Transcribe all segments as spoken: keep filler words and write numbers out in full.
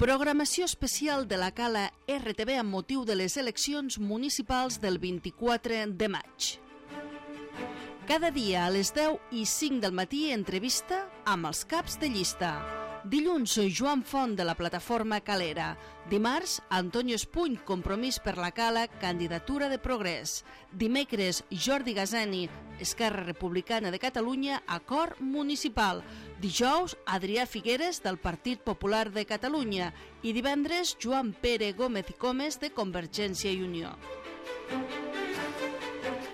Programació especial de la Cala R T V amb motiu de les eleccions municipals del vint-i-quatre de maig. Cada dia a les deu i cinc del matí entrevista amb els caps de llista. Dilluns, Joan Font, de la plataforma Calera. Dimarts, Antonio Espuny, Compromís per la Cala, candidatura de Progrés. Dimecres, Jordi Gazani, Esquerra Republicana de Catalunya, acord municipal. Dijous, Adrià Figueres, del Partit Popular de Catalunya. I divendres, Joan Pere Gómez i Comes, de Convergència i Unió.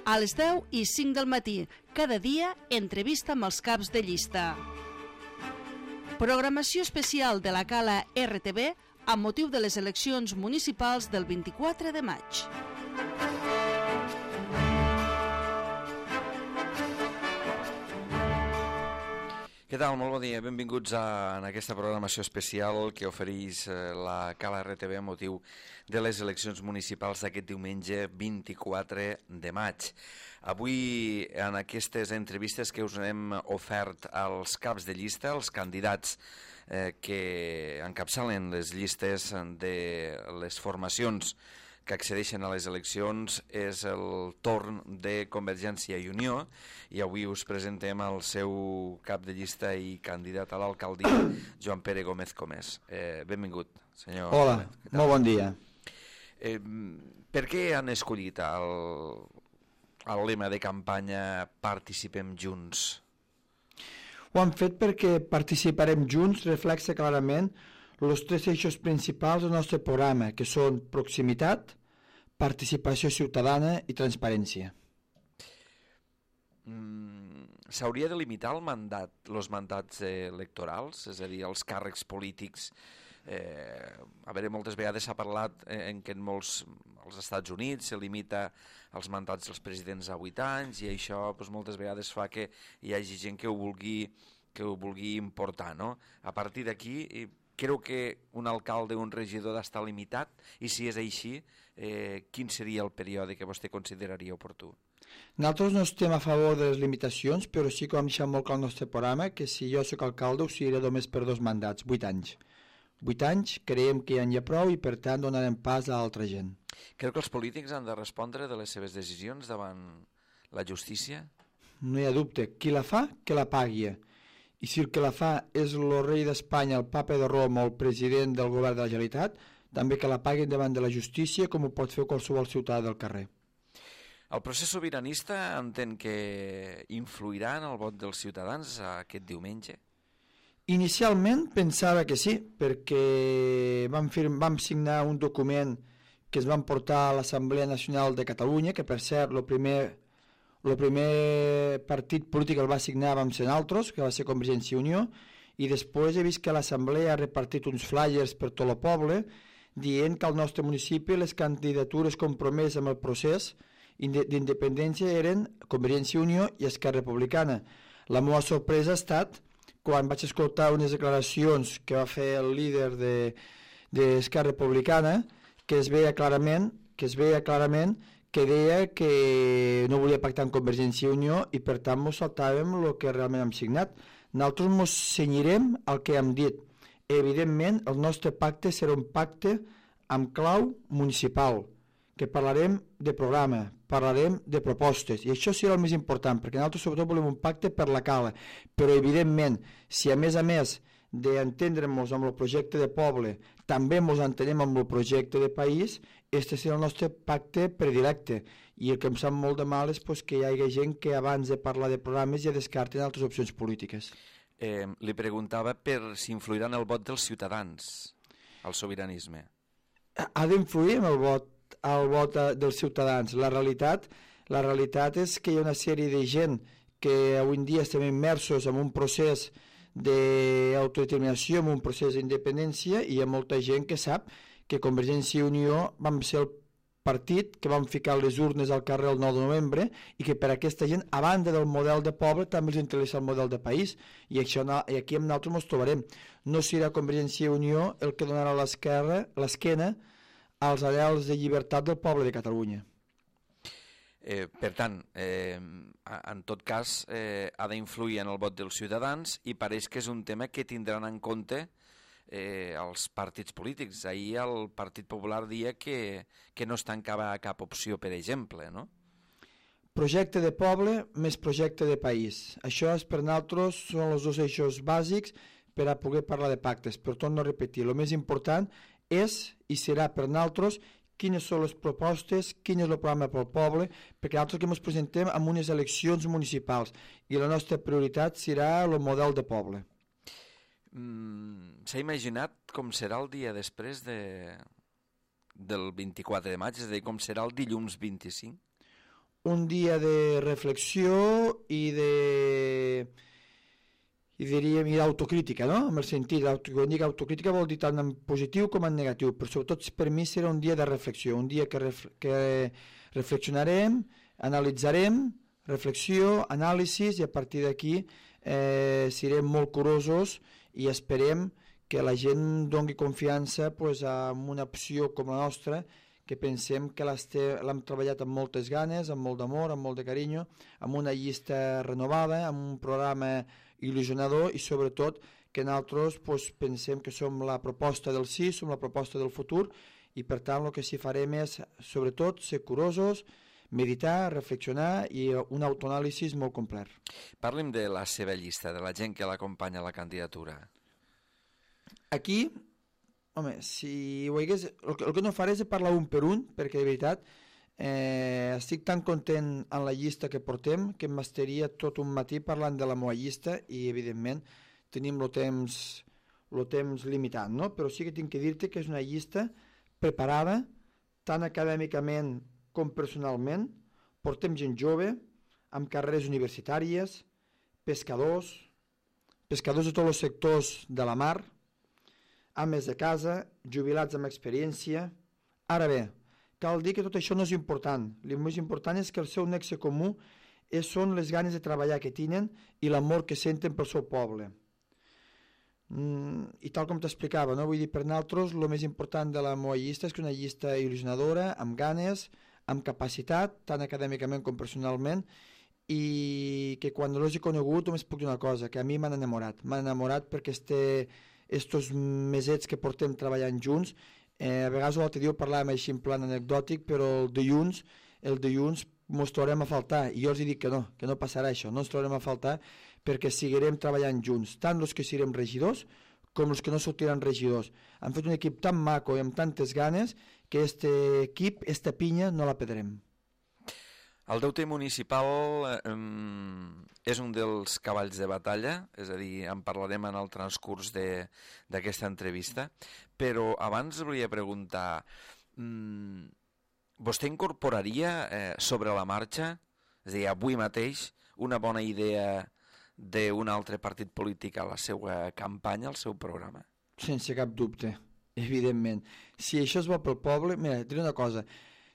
A les deu i cinc del matí, cada dia, entrevista amb els caps de llista. Programació especial de la Cala R T V amb motiu de les eleccions municipals del vint-i-quatre de maig. Què tal? Molt bon dia. Benvinguts a, en aquesta programació especial que ofereix la Cala R T V amb motiu de les eleccions municipals d'aquest diumenge vint-i-quatre de maig. Avui, en aquestes entrevistes que us hem ofert als caps de llista, els candidats eh, que encapçalen les llistes de les formacions que accedeixen a les eleccions, és el torn de Convergència i Unió, i avui us presentem el seu cap de llista i candidat a l'alcaldia, Joan Pere Gómez Comes. Eh, benvingut, senyor. Hola, molt bon dia. Eh, per què han escollit el, el lema de campanya Participem Junts? Ho han fet perquè Participarem Junts reflexa clarament els tres eixos principals del nostre programa, que són proximitat, participació ciutadana i transparència. Mm, S'hauria de limitar el mandat, els mandats eh, electorals, és a dir, els càrrecs polítics. Eh, a veure, moltes vegades s'ha parlat eh, en que en molts, als Estats Units se limita els mandats dels presidents a vuit anys i això doncs, moltes vegades fa que hi hagi gent que ho vulgui, que ho vulgui importar, no? A partir d'aquí, creu que un alcalde o un regidor ha d'estar limitat? I si és així, eh, quin seria el període que vostè consideraria oportú? Nosaltres no estem a favor de les limitacions, però sí que vam deixar molt clar al nostre programa que si jo soc alcalde ho seré només per dos mandats, vuit anys. Vuit anys creiem que ja n'hi ha prou i per tant donarem pas a altra gent. Creu que els polítics han de respondre de les seves decisions davant la justícia? No hi ha dubte, qui la fa, que la pagui. I si el que la fa és el rei d'Espanya, el papa de Roma o el president del govern de la Generalitat, també que la paguin davant de la justícia com ho pot fer qualsevol ciutadà del carrer. El procés sobiranista entén que influirà en el vot dels ciutadans aquest diumenge? Inicialment pensava que sí, perquè vam, firm, vam signar un document que es van portar a l'Assemblea Nacional de Catalunya, que per cert, el primer... El primer partit polític el va signar vam ser nosaltres, que va ser Convergència i Unió, i després he vist que l'Assemblea ha repartit uns flyers per tot el poble dient que al nostre municipi les candidatures compromeses amb el procés d'independència eren Convergència i Unió i Esquerra Republicana. La meva sorpresa ha estat quan vaig escoltar unes declaracions que va fer el líder d'Esquerra de, Republicana que es veia clarament que es veia clarament que deia que no volia pactar amb Convergència i Unió i per tant mos saltàvem el que realment hem signat. Nosaltres mos cenyirem al que hem dit. Evidentment, el nostre pacte serà un pacte amb clau municipal, que parlarem de programa, parlarem de propostes, i això serà el més important, perquè nosaltres sobretot volem un pacte per la Cala, però evidentment, si a més a més d'entendre'ns amb el projecte de poble, també ens entenem amb el projecte de país, este serà el nostre pacte predilecte. I el que em sap molt de mal és pues, que hi hagi gent que abans de parlar de programes ja descarten altres opcions polítiques. Eh, li preguntava per si influirà en el vot dels ciutadans, el sobiranisme. Ha d'influir en el vot, el vot dels ciutadans. La realitat, la realitat és que hi ha una sèrie de gent que avui en dia estem immersos en un procés d'autodeterminació, en un procés d'independència, i hi ha molta gent que sap que Convergència i Unió vam ser el partit que vam ficar les urnes al carrer el nou de novembre i que per aquesta gent, a banda del model de poble, també els interessa el model de país, i, això, i aquí amb nosaltres ens trobarem. No serà Convergència i Unió el que donarà l'esquerra, l'esquena als arrels de llibertat del poble de Catalunya. Eh, per tant, eh, en tot cas, eh, ha d'influir en el vot dels ciutadans i pareix que és un tema que tindran en compte eh, als partits polítics. Ahir el Partit Popular dia que, que no es tancava cap opció, per exemple, no? Projecte de poble més projecte de país. Això és per nosaltres, són els dos eixos bàsics per a poder parlar de pactes. Per tot no repetir, el més important és i serà per nosaltres quines són les propostes, quin és el programa pel poble, perquè nosaltres que ens presentem en unes eleccions municipals i la nostra prioritat serà el model de poble. Mm, S'ha imaginat com serà el dia després de, del vint-i-quatre de maig, és a dir, com serà el dilluns vint-i-cinc? Un dia de reflexió i de... i diríem i d'autocrítica, no? En el sentit, quan dic autocrítica vol dir tant en positiu com en negatiu, però sobretot per mi serà un dia de reflexió, un dia que, ref, que reflexionarem, analitzarem, reflexió, anàlisis, i a partir d'aquí eh, serem molt curosos i esperem que la gent doni confiança pues, en una opció com la nostra, que pensem que l'hem treballat amb moltes ganes, amb molt d'amor, amb molt de carinyo, amb una llista renovada, amb un programa il·lusionador i sobretot que nosaltres pues, pensem que som la proposta del sí, som la proposta del futur i per tant el que sí farem és sobretot ser curosos, meditar, reflexionar i un autoanàlisi molt complet. Parli'm de la seva llista, de la gent que l'acompanya a la candidatura. Aquí... Home, si ho hagués, el, que, el que no faré és parlar un per un, perquè de veritat eh, estic tan content en la llista que portem que m'estaria tot un matí parlant de la meva llista i evidentment tenim el temps, el temps limitat, no? Però sí que tinc que dir-te que és una llista preparada tant acadèmicament com personalment. Portem gent jove, amb carreres universitàries, pescadors, pescadors de tots els sectors de la mar, ames de casa, jubilats amb experiència. Ara bé, cal dir que tot això no és important. El més important és que el seu nexe comú és, són les ganes de treballar que tenen i l'amor que senten pel seu poble. Mm, I tal com t'explicava, no? Vull dir, per nosaltres el més important de la meva llista és que una llista il·lusionadora, amb ganes, amb capacitat, tant acadèmicament com personalment, i que quan l'he conegut només puc dir una cosa, que a mi m'han enamorat. M'han enamorat perquè este... estos mesets que portem treballant junts, eh, a vegades l'altre dia ho parlàvem així en plan anecdòtic, però el dilluns, el dilluns mos trobarem a faltar, i jo els dic que no, que no passarà això, no ens trobarem a faltar perquè seguirem treballant junts, tant els que serem regidors com els que no sortiran regidors. Han fet un equip tan maco i amb tantes ganes que este equip, esta pinya, no la perdrem. El deute municipal eh, és un dels cavalls de batalla, és a dir, en parlarem en el transcurs d'aquesta entrevista, però abans volia preguntar, mm, vostè incorporaria eh, sobre la marxa, és a dir, avui mateix, una bona idea d'un altre partit polític a la seva campanya, al seu programa? Sense cap dubte, evidentment. Si això es va pel poble, mira, et diré una cosa,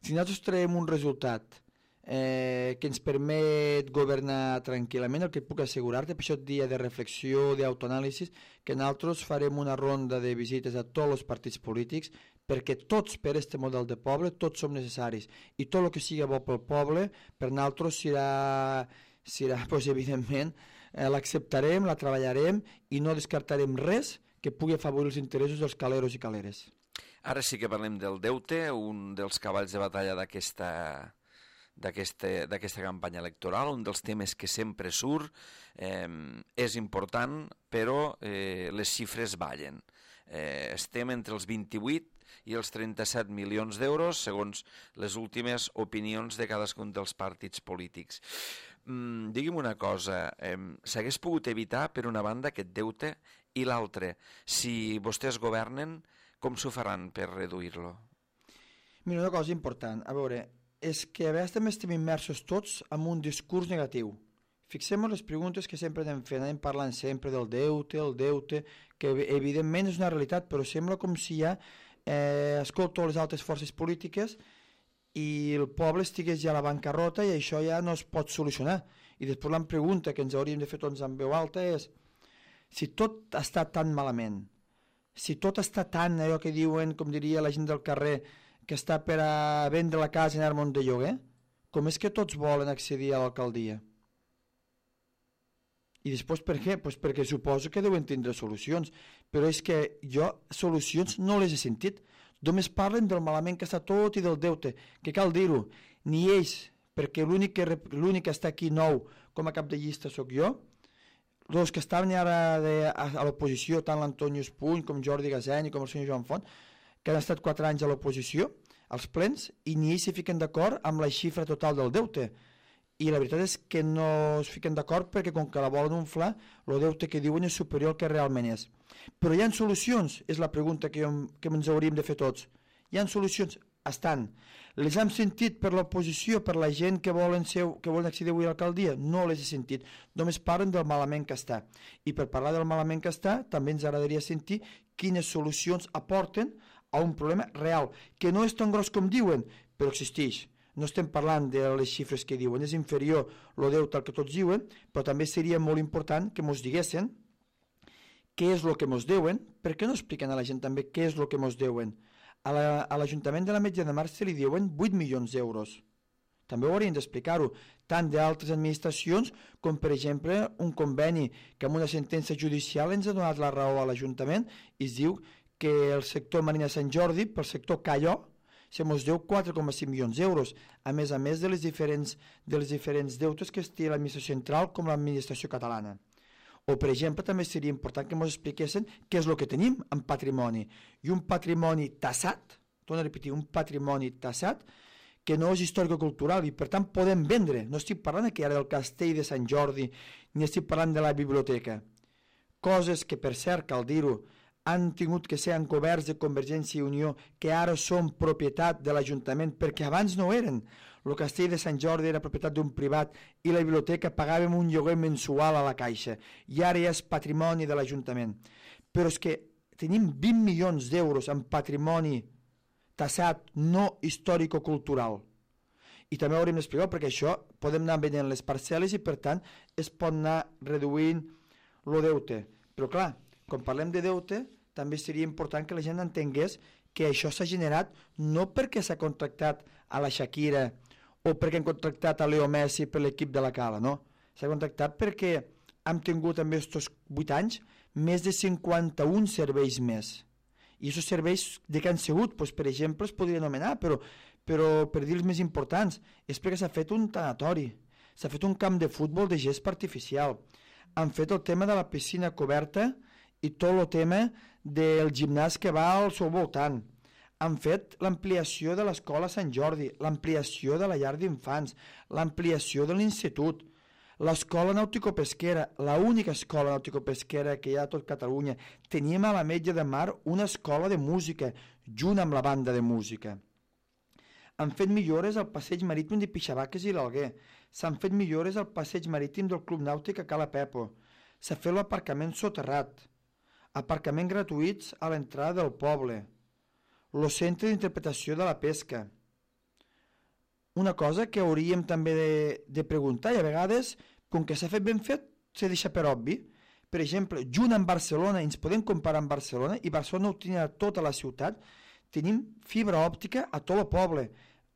si nosaltres traiem un resultat Eh, que ens permet governar tranquil·lament, el que puc assegurar-te, per això et dia de reflexió, d'autoanàlisi, que nosaltres farem una ronda de visites a tots els partits polítics, perquè tots per aquest model de poble, tots som necessaris, i tot el que sigui bo pel poble, per nosaltres serà, serà pues, evidentment, eh, l'acceptarem, la treballarem, i no descartarem res que pugui afavorir els interessos dels caleros i caleres. Ara sí que parlem del deute, un dels cavalls de batalla d'aquesta... d'aquesta campanya electoral, un dels temes que sempre surt, eh, és important, però eh, les xifres ballen. Eh, estem entre els vint-i-vuit i els trenta-set milions d'euros, segons les últimes opinions de cadascun dels partits polítics. Mm, digui'm una cosa, eh, s'hagués pogut evitar, per una banda, aquest deute, i l'altre, si vostès governen, com s'ho faran per reduir-lo? Mira, una cosa important, a veure, és que a vegades també estem immersos tots en un discurs negatiu. Fixem-nos les preguntes que sempre anem fent, anem parlant sempre del deute, el deute, que evidentment és una realitat, però sembla com si ja eh, escolto les altres forces polítiques i el poble estigués ja a la bancarrota i això ja no es pot solucionar. I després la pregunta que ens hauríem de fer tots en veu alta és si tot està tan malament, si tot està tan, allò que diuen, com diria la gent del carrer, que està per a vendre la casa i anar-me'n de lloguer, com és que tots volen accedir a l'alcaldia? I després per què? Pues perquè suposo que deuen tindre solucions, però és que jo solucions no les he sentit. Només parlen del malament que està tot i del deute, que cal dir-ho, ni ells, perquè l'únic que, l'únic que està aquí nou com a cap de llista sóc jo, els que estaven ara de, a, a l'oposició, tant l'Antonio Espuny com Jordi Gaseny com el senyor Joan Font, que han estat quatre anys a l'oposició, als plens, i ni ells s'hi fiquen d'acord amb la xifra total del deute. I la veritat és que no es fiquen d'acord perquè com que la volen inflar, el deute que diuen és superior al que realment és. Però hi ha solucions? És la pregunta que, que ens hauríem de fer tots. Hi ha solucions? Estan. Les hem sentit per l'oposició, per la gent que volen, ser, que volen accedir avui a l'alcaldia? No les he sentit. Només parlen del malament que està. I per parlar del malament que està, també ens agradaria sentir quines solucions aporten a un problema real, que no és tan gros com diuen, però existeix. No estem parlant de les xifres que diuen, és inferior el deute al que tots diuen, però també seria molt important que ens diguessin què és el que ens deuen. Per què no expliquen a la gent també què és el que ens deuen? A l'Ajuntament de l'Ametlla de Mar se li diuen vuit milions d'euros. També ho haurien d'explicar-ho, tant d'altres administracions com, per exemple, un conveni que amb una sentència judicial ens ha donat la raó a l'Ajuntament i es diu que el sector Marina Sant Jordi, pel sector Calló, se mos deu quatre coma cinc milions d'euros, a més a més de les diferents, de les diferents deutes que es té l'administració central com l'administració catalana. O, per exemple, també seria important que ens expliquessin què és el que tenim en patrimoni. I un patrimoni tassat, torno a repetir, un patrimoni tassat, que no és històrico-cultural i, per tant, podem vendre. No estic parlant aquí ara del castell de Sant Jordi, ni estic parlant de la biblioteca. Coses que, per cert, cal dir-ho, han tingut que ser encoberts de Convergència i Unió, que ara són propietat de l'Ajuntament, perquè abans no eren. El castell de Sant Jordi era propietat d'un privat i la biblioteca pagàvem un lloguer mensual a la Caixa, i ara ja és patrimoni de l'Ajuntament. Però és que tenim vint milions d'euros en patrimoni tassat no històrico-cultural. I també haurem d'explicar, perquè això podem anar venent les parcel·les i, per tant, es pot anar reduint el deute. Però, clar, quan parlem de deute, també seria important que la gent entengués que això s'ha generat no perquè s'ha contractat a la Shakira o perquè han contractat a Leo Messi per l'equip de la Cala, no. S'ha contractat perquè hem tingut en aquests vuit anys més de cinquanta-un serveis més. I aquests serveis de què han sigut? Pues, per exemple, es podria anomenar, però, però per dir els més importants, és perquè s'ha fet un tanatori, s'ha fet un camp de futbol de gespa artificial, han fet el tema de la piscina coberta i tot el tema del gimnàs que va al seu voltant. Han fet l'ampliació de l'escola Sant Jordi, l'ampliació de la llar d'infants, l'ampliació de l'institut, l'escola nàutico-pesquera, l'única escola nàutico-pesquera que hi ha a tot Catalunya. Teníem a l'Ametlla de Mar una escola de música, junt amb la banda de música. Han fet millores al passeig marítim de Pixabaques i l'Alguer. S'han fet millores al passeig marítim del Club Nàutic a Cala Pepo. S'ha fet l'aparcament soterrat. Aparcaments gratuïts a l'entrada del poble, el centre d'interpretació de la pesca. Una cosa que hauríem també de, de preguntar, i a vegades, com que s'ha fet ben fet, se deixa per obvi. Per exemple, junt amb Barcelona, ens podem comparar amb Barcelona, i Barcelona ho tenia tota la ciutat, tenim fibra òptica a tot el poble,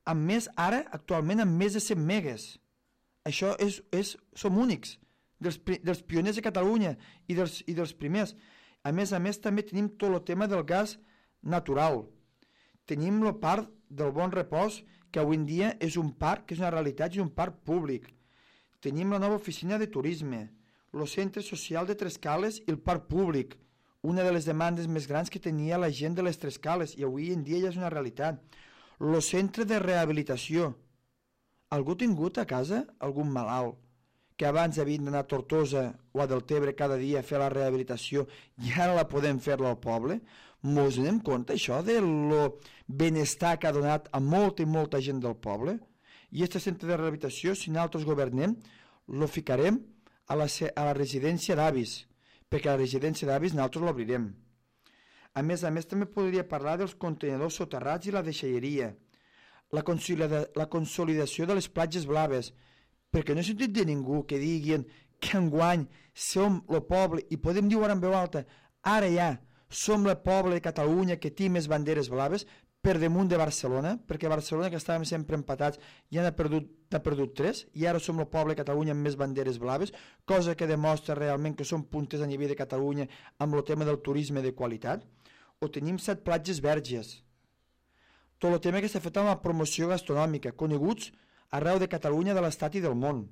amb més, ara, actualment, amb més de cent megues. Això és, és, som únics, dels, dels pioners de Catalunya i dels, i dels primers. A més a més, també tenim tot el tema del gas natural. Tenim el parc del Bon Repòs, que avui en dia és un parc, que és una realitat, és un parc públic. Tenim la nova oficina de turisme, el centre social de Trescales i el parc públic, una de les demandes més grans que tenia la gent de les Trescales, i avui en dia ja és una realitat. El centre de rehabilitació. Algú ha tingut a casa algun malalt que abans havien d'anar a Tortosa o a Deltebre cada dia a fer la rehabilitació i ara la podem fer-la al poble? Mos anem compte això del benestar que ha donat a molta i molta gent del poble? I aquest centre de rehabilitació, si nosaltres governem, lo ficarem a la, a la residència d'avis, perquè a la residència d'avis nosaltres l'obrirem. A més a més, també podria parlar dels contenidors soterrats i la deixalleria, la, consolida, la consolidació de les platges blaves, perquè no he sentit de ningú que diguin que enguany som el poble, i podem dir ara en veu alta, ara ja som el poble de Catalunya que té més banderes blaves, per damunt de Barcelona, perquè Barcelona, que estàvem sempre empatats, ja n'ha perdut, n'ha perdut tres, i ara som el poble de Catalunya amb més banderes blaves, cosa que demostra realment que som puntes a nivell de Catalunya amb el tema del turisme de qualitat. O tenim set platges verges. Tot el tema que s'ha fet amb la promoció gastronòmica, coneguts arreu de Catalunya, de l'Estat i del món.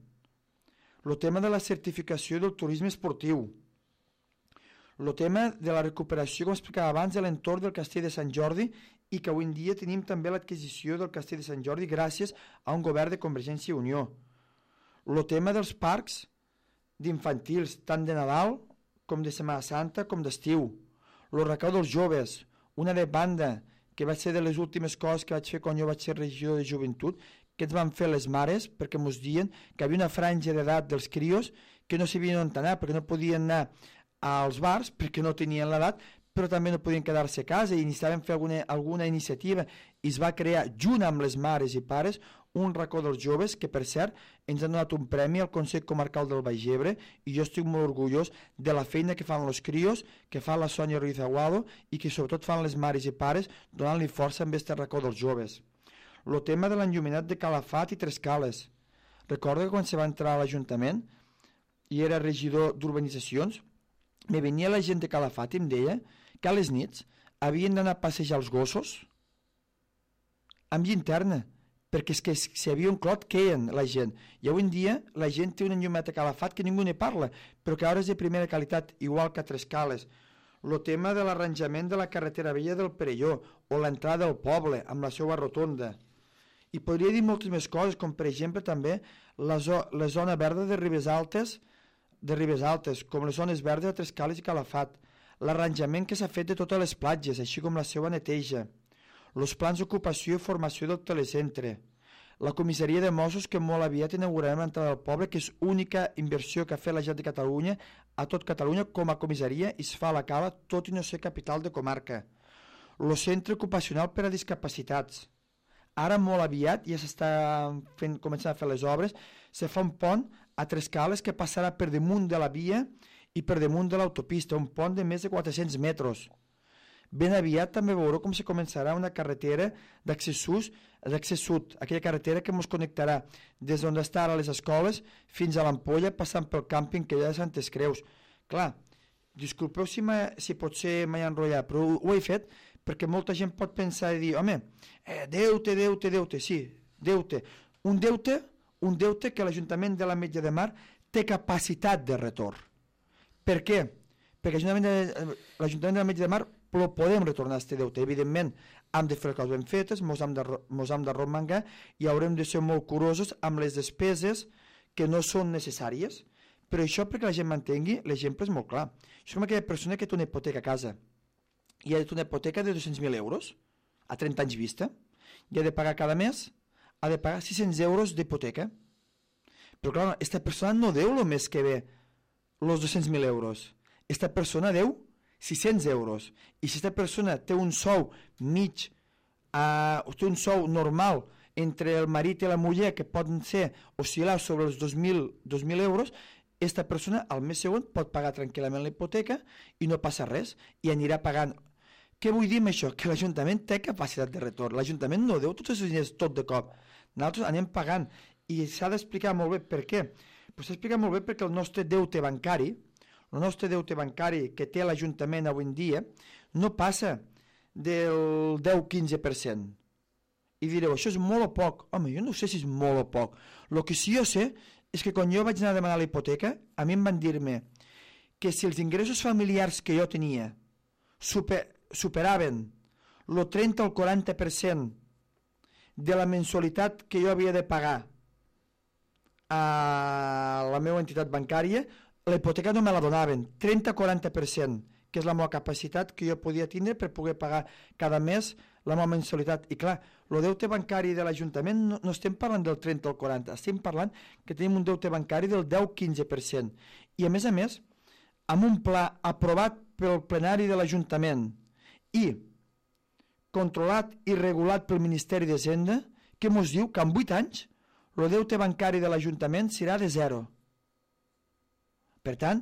El tema de la certificació del turisme esportiu. El tema de la recuperació, com explicava abans, de l'entorn del Castell de Sant Jordi, i que avui en dia tenim també l'adquisició del Castell de Sant Jordi gràcies a un govern de Convergència i Unió. El tema dels parcs d'infantils, tant de Nadal com de Setmana Santa com d'estiu. El recau dels joves, una de banda que va ser de les últimes coses que vaig fer quan jo vaig ser regidor de joventut, que ens van fer les mares perquè ens diuen que hi havia una franja d'edat dels crios que no sabien on anar, perquè no podien anar als bars perquè no tenien l'edat, però també no podien quedar-se a casa i necessitaven fer alguna, alguna iniciativa, i es va crear, junt amb les mares i pares, un racó dels joves que, per cert, ens han donat un premi al Consell Comarcal del Baix Ebre, i jo estic molt orgullós de la feina que fan els crios, que fa la Sònia Ruiz Aguado, i que sobretot fan les mares i pares donant-li força amb aquest racó dels joves. El tema de l'enlluminat de Calafat i Trescales. Recordo que quan se va entrar a l'Ajuntament i era regidor d'urbanitzacions, me venia la gent de Calafat i em deia que a les nits havien d'anar a passejar els gossos amb llinterna, perquè és que si havia un clot queien la gent. I avui en dia la gent té un enllumat a Calafat que ningú ne parla, però que ara és de primera qualitat, igual que a Trescales. El tema de l'arranjament de la carretera vella del Perelló o l'entrada al poble amb la seva rotonda. I podria dir moltes més coses, com per exemple també la, zo la zona verda de Ribes Altes, de Ribes Altes, com les zones verdes de Trescales i Calafat, l'arranjament que s'ha fet de totes les platges, així com la seva neteja, els plans d'ocupació i formació del telecentre, la comissaria de Mossos que molt aviat inaugurarem l'entrada del poble, que és única inversió que ha fet la Generalitat de Catalunya a tot Catalunya com a comissaria i es fa a la Cala, tot i no ser capital de comarca. El centre ocupacional per a discapacitats. Ara molt aviat, ja s'està començant a fer les obres, se fa un pont a Trescales que passarà per damunt de la via i per damunt de l'autopista, un pont de més de quatre-cents metres. Ben aviat també veureu com se començarà una carretera d'accés sud, aquella carretera que ens connectarà des d'on està ara les escoles fins a l'Ampolla, passant pel càmping que hi ha de Santes Creus. Clar, disculpeu si, si potser m'he enrotllat, però ho, ho he fet perquè molta gent pot pensar i dir, home, eh, deute, deute, deute, sí, deute. Un deute, un deute que l'Ajuntament de l'Ametlla de Mar té capacitat de retorn. Per què? Perquè l'Ajuntament de l'Ametlla de Mar però podem retornar a aquest deute. Evidentment, hem de fer les coses ben fetes, mos hem de, mos hem de romangar i haurem de ser molt curosos amb les despeses que no són necessàries. Però això, perquè la gent m'entengui, l'exemple és molt clar. Això és com aquella persona que té una hipoteca a casa i ha de tenir una hipoteca de dos-cents mil euros a trenta anys vista i ha de pagar cada mes, ha de pagar sis-cents euros d'hipoteca. Però clar, aquesta persona no deu el mes que ve els dos-cents mil euros. Aquesta persona deu sis-cents euros. I si aquesta persona té un sou mig, uh, té un sou normal entre el marit i la muller, que poden ser oscil·lar sobre els dos mil euros, aquesta persona al mes següent pot pagar tranquil·lament la hipoteca i no passa res, i anirà pagant. Què vull dir amb això? Que l'Ajuntament té capacitat de retorn. L'Ajuntament no deu tots els diners tot de cop. Nosaltres anem pagant. I s'ha d'explicar molt bé per què. Però s'ha d'explicar molt bé perquè el nostre deute bancari, el nostre deute bancari que té l'Ajuntament avui en dia, no passa del deu a quinze per cent. I direu, això és molt o poc? Home, jo no sé si és molt o poc. El que sí jo sé és que quan jo vaig anar a demanar la hipoteca, a mi em van dir-me que si els ingressos familiars que jo tenia super, superaven el trenta o el quaranta per cent de la mensualitat que jo havia de pagar a la meva entitat bancària, la hipoteca no me la donaven, trenta o quaranta per cent, que és la meva capacitat que jo podia tindre per poder pagar cada mes la meva mensualitat. I clar, el deute bancari de l'Ajuntament no, no estem parlant del trenta o el quaranta, estem parlant que tenim un deute bancari del deu a quinze per cent. I a més a més, amb un pla aprovat pel plenari de l'Ajuntament i controlat i regulat pel Ministeri d'Hisenda, que ens diu que en vuit anys el deute bancari de l'Ajuntament serà de zero. Per tant,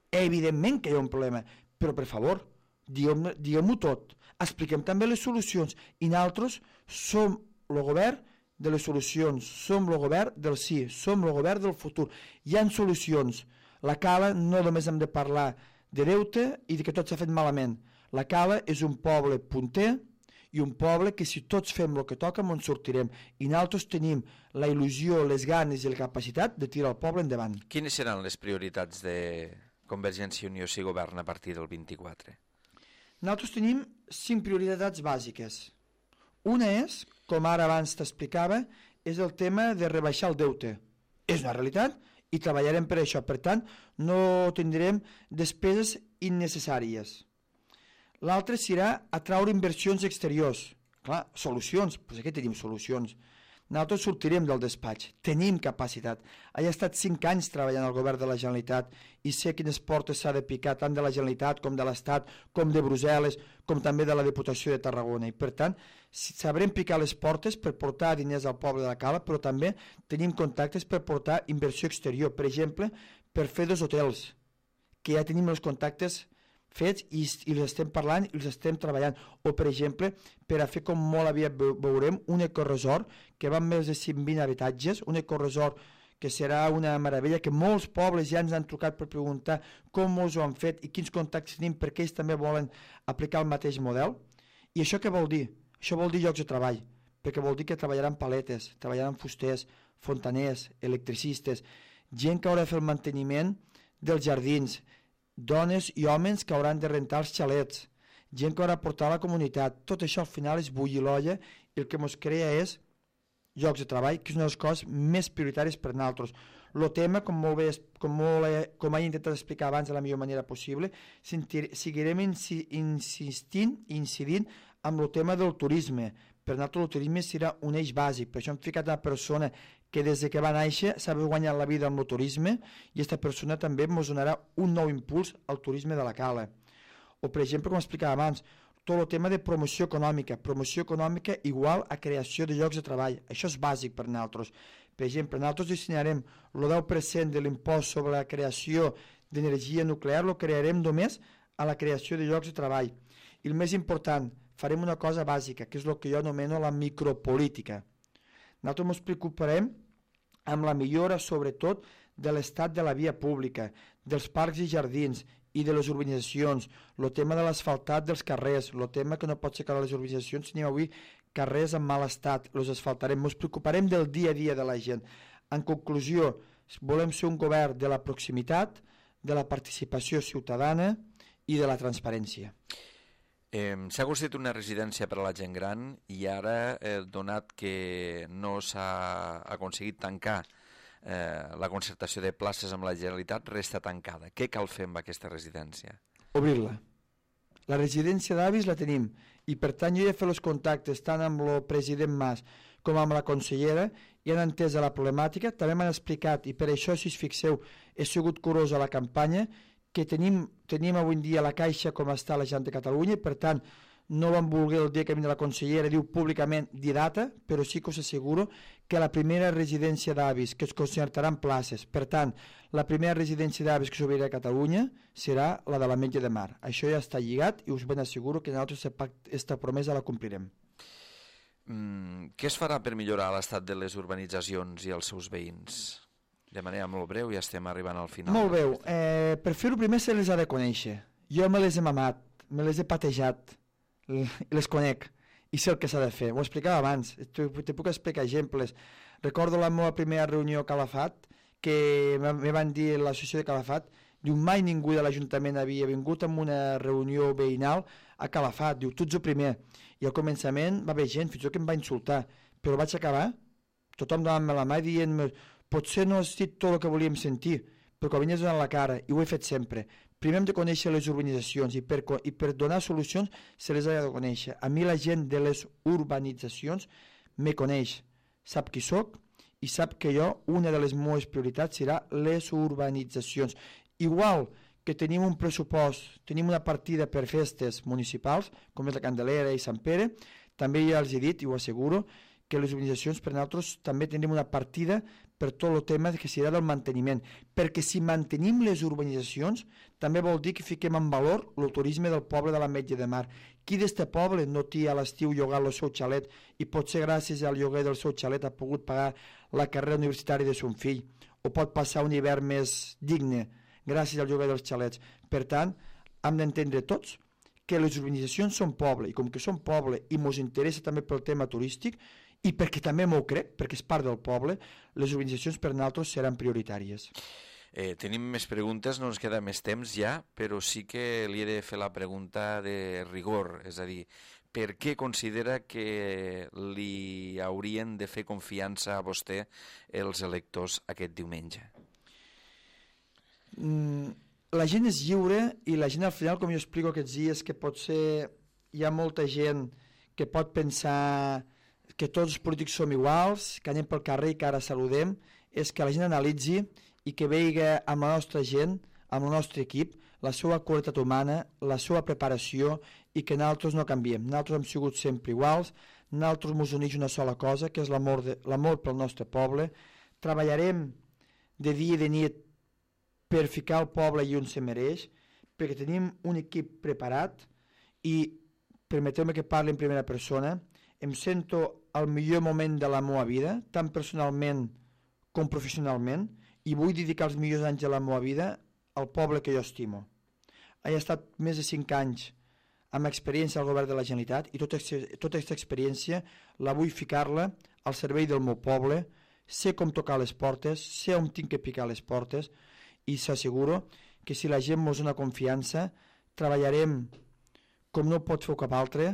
evidentment que hi ha un problema, però per favor, diguem-ho diguem tot, expliquem també les solucions, i nosaltres som el govern de les solucions, som el govern del sí, som el govern del futur. Hi ha solucions. La Cala no només hem de parlar de deute i de que tot s'ha fet malament. La Cala és un poble punter i un poble que si tots fem el que toca ens sortirem, i nosaltres tenim la il·lusió, les ganes i la capacitat de tirar el poble endavant. Quines seran les prioritats de Convergència i Unió si governa a partir del vint-i-quatre? Nosaltres tenim cinc prioritats bàsiques. Una és, com ara abans t'explicava, és el tema de rebaixar el deute. És una realitat i treballarem per això. Per tant, no tindrem despeses innecessàries. L'altre serà atraure inversions exteriors. Clar, solucions, doncs aquí tenim solucions. Nosaltres sortirem del despatx, tenim capacitat. He estat cinc anys treballant al govern de la Generalitat i sé quines portes s'ha de picar tant de la Generalitat com de l'Estat, com de Brussel·les, com també de la Diputació de Tarragona. I per tant, sabrem picar les portes per portar diners al poble de la Cala, però també tenim contactes per portar inversió exterior. Per exemple, per fer dos hotels, que ja tenim els contactes fets i, i els estem parlant i els estem treballant, o per exemple per a fer, com molt aviat veurem, un ecoresort que va amb més de cent vint habitatges, un ecoresort que serà una meravella, que molts pobles ja ens han trucat per preguntar com els ho han fet i quins contactes tenim, perquè ells també volen aplicar el mateix model. I això què vol dir? Això vol dir llocs de treball, perquè vol dir que treballaran paletes, treballaran fusters, fontaners, electricistes, gent que haurà de fer el manteniment dels jardins, dones i homes que hauran de rentar els xalets, gent que haurà de portar a la comunitat. Tot això al final és bullir l'olla i el que ens crea és llocs de treball, que és una de les coses més prioritàries per nosaltres. El tema, com molt bé, com, molt, com he intentat explicar abans de la millor manera possible, seguirem insistint i incidint amb el tema del turisme. Per nosaltres el turisme serà un eix bàsic, per això hem ficat una persona que des que va néixer s'ha guanyat la vida amb el turisme i aquesta persona també ens donarà un nou impuls al turisme de la Cala. O per exemple, com explicava abans, tot el tema de promoció econòmica, promoció econòmica igual a creació de llocs de treball. Això és bàsic per nosaltres. Per exemple, nosaltres destinarem el deu per cent de l'impost sobre la creació d'energia nuclear, lo crearem només a la creació de llocs de treball. I el més important, farem una cosa bàsica, que és el que jo anomeno la micropolítica. Nosaltres ens preocuparem amb la millora, sobretot, de l'estat de la via pública, dels parcs i jardins i de les urbanitzacions, el tema de l'asfaltat dels carrers, el tema que no pot ser que a les urbanitzacions tenim avui carrers en mal estat, els asfaltarem, ens preocuparem del dia a dia de la gent. En conclusió, volem ser un govern de la proximitat, de la participació ciutadana i de la transparència. Eh, S'ha construït una residència per a la gent gran i ara, eh, donat que no s'ha aconseguit tancar eh, la concertació de places amb la Generalitat, resta tancada. Què cal fer amb aquesta residència? Obrir-la. La residència d'avis la tenim i per tant jo he fet els contactes tant amb el president Mas com amb la consellera i han entès la problemàtica, també m'han explicat i per això, si us fixeu, he sigut curós a la campanya, que tenim, tenim avui en dia la Caixa com està la Generalitat de Catalunya i per tant no van voler el dia que vindrà la consellera diu públicament dir data, però sí que us asseguro que la primera residència d'avis que es concertaran places, per tant la primera residència d'avis que s'obrirà a Catalunya serà la de l'Ametlla de Mar. Això ja està lligat i us ben asseguro que nosaltres aquesta promesa la complirem. Mm, què es farà per millorar l'estat de les urbanitzacions i els seus veïns? De manera molt breu, ja estem arribant al final. Molt breu. Eh, per fer-ho primer se les ha de conèixer. Jo me les he mamat, me les he patejat, les conec i sé el que s'ha de fer. Ho explicava abans, te, te puc explicar exemples. Recordo la meva primera reunió a Calafat, que me van dir l'associació de Calafat, diu, mai ningú de l'Ajuntament havia vingut a una reunió veïnal a Calafat, diu, tu ets el primer. I al començament va haver gent, fins i tot que em va insultar, però vaig acabar, tothom donant-me la mà i dient-me, potser no has dit tot el que volíem sentir, però que venies donant la cara, i ho he fet sempre. Primer hem de conèixer les urbanitzacions i per, i per donar solucions se les ha de conèixer. A mi la gent de les urbanitzacions me coneix, sap qui soc i sap que jo, una de les meves prioritats serà les urbanitzacions. Igual que tenim un pressupost, tenim una partida per festes municipals, com és la Candelera i Sant Pere, també ja els he dit, i ho asseguro, que les urbanitzacions per nosaltres també tindrem una partida per tot el tema que serà del manteniment, perquè si mantenim les urbanitzacions també vol dir que fiquem en valor el turisme del poble de l'Ametlla de Mar. Qui d'este poble no té a l'estiu llogat el seu xalet i potser gràcies al lloguer del seu xalet ha pogut pagar la carrera universitària de son fill, o pot passar un hivern més digne gràcies al lloguer dels xalets. Per tant, hem d'entendre tots que les urbanitzacions són poble, i com que són poble i ens interessa també pel tema turístic, i perquè també m'ho crec, perquè és part del poble, les urbanitzacions per nosaltres seran prioritàries. Eh, tenim més preguntes, no ens queda més temps ja, però sí que li he de fer la pregunta de rigor, és a dir, per què considera que li haurien de fer confiança a vostè els electors aquest diumenge? Mm, la gent és lliure i la gent al final, com jo explico aquests dies, que potser hi ha molta gent que pot pensar que tots els polítics som iguals, que anem pel carrer i que ara saludem, és que la gent analitzi i que veiga amb la nostra gent, amb el nostre equip, la seva qualitat humana, la seva preparació i que nosaltres no canviem. Nosaltres hem sigut sempre iguals, nosaltres ens uneix una sola cosa, que és l'amor l'amor pel nostre poble. Treballarem de dia i de nit per ficar el poble i on se mereix, perquè tenim un equip preparat i, permeteu-me que parli en primera persona, em sento al millor moment de la meva vida, tant personalment com professionalment, i vull dedicar els millors anys de la meva vida al poble que jo estimo. He estat més de cinc anys amb experiència al govern de la Generalitat i tota aquesta experiència la vull ficar-la al servei del meu poble, sé com tocar les portes, sé on tinc que picar les portes i s'asseguro que si la gent mos dona confiança treballarem com no pot fer cap altre,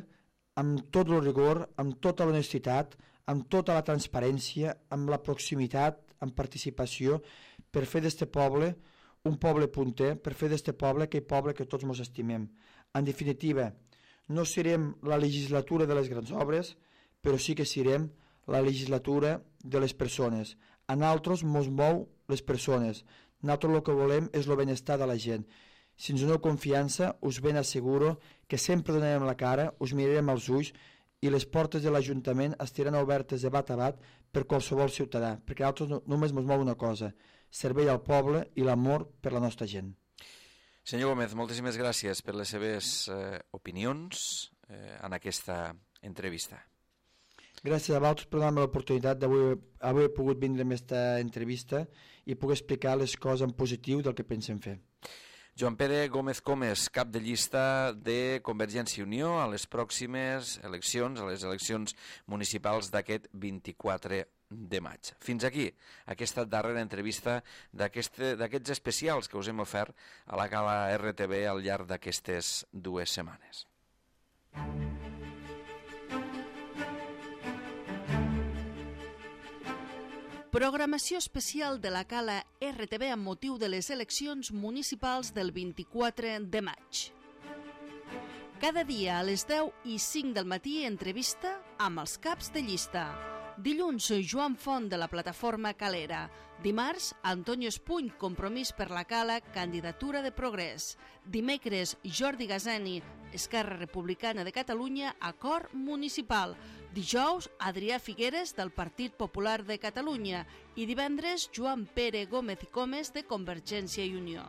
amb tot el rigor, amb tota l'honestitat, amb tota la transparència, amb la proximitat, amb participació, per fer d'este poble un poble punter, per fer d'este poble aquell poble que tots ens estimem. En definitiva, no serem la legislatura de les grans obres, però sí que serem la legislatura de les persones. A nosaltres ens mou les persones. Nosaltres el que volem és el benestar de la gent. Si ens doneu confiança, us ben asseguro que sempre donarem la cara, us mirarem als ulls i les portes de l'Ajuntament estaran obertes de bat a bat per qualsevol ciutadà, perquè a nosaltres només ens mou una cosa, servei al poble i l'amor per la nostra gent. Senyor Gómez, moltíssimes gràcies per les seves eh, opinions eh, en aquesta entrevista. Gràcies a vosaltres per donar-me l'oportunitat d'avui haver pogut vindre amb aquesta entrevista i poder explicar les coses en positiu del que pensem fer. Joan Pere Gómez Comes, cap de llista de Convergència i Unió a les pròximes eleccions, a les eleccions municipals d'aquest vint-i-quatre de maig. Fins aquí aquesta darrera entrevista d'aquests especials que us hem ofert a la Gala R T V al llarg d'aquestes dues setmanes. Programació especial de la Cala R T V amb motiu de les eleccions municipals del vint-i-quatre de maig. Cada dia a les deu i cinc del matí entrevista amb els caps de llista. Dilluns, Joan Font, de la plataforma Calera. Dimarts, Antonio Espuny, Compromís per la Cala, candidatura de Progrés. Dimecres, Jordi Gazeni, Esquerra Republicana de Catalunya, acord municipal. Dijous, Adrià Figueres, del Partit Popular de Catalunya. I divendres, Joan Pere Gómez i Comes, de Convergència i Unió.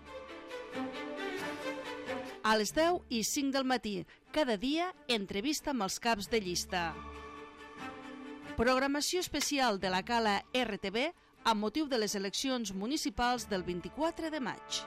A les deu i cinc del matí, cada dia, entrevista amb els caps de llista. Programació especial de la Cala R T V amb motiu de les eleccions municipals del vint-i-quatre de maig.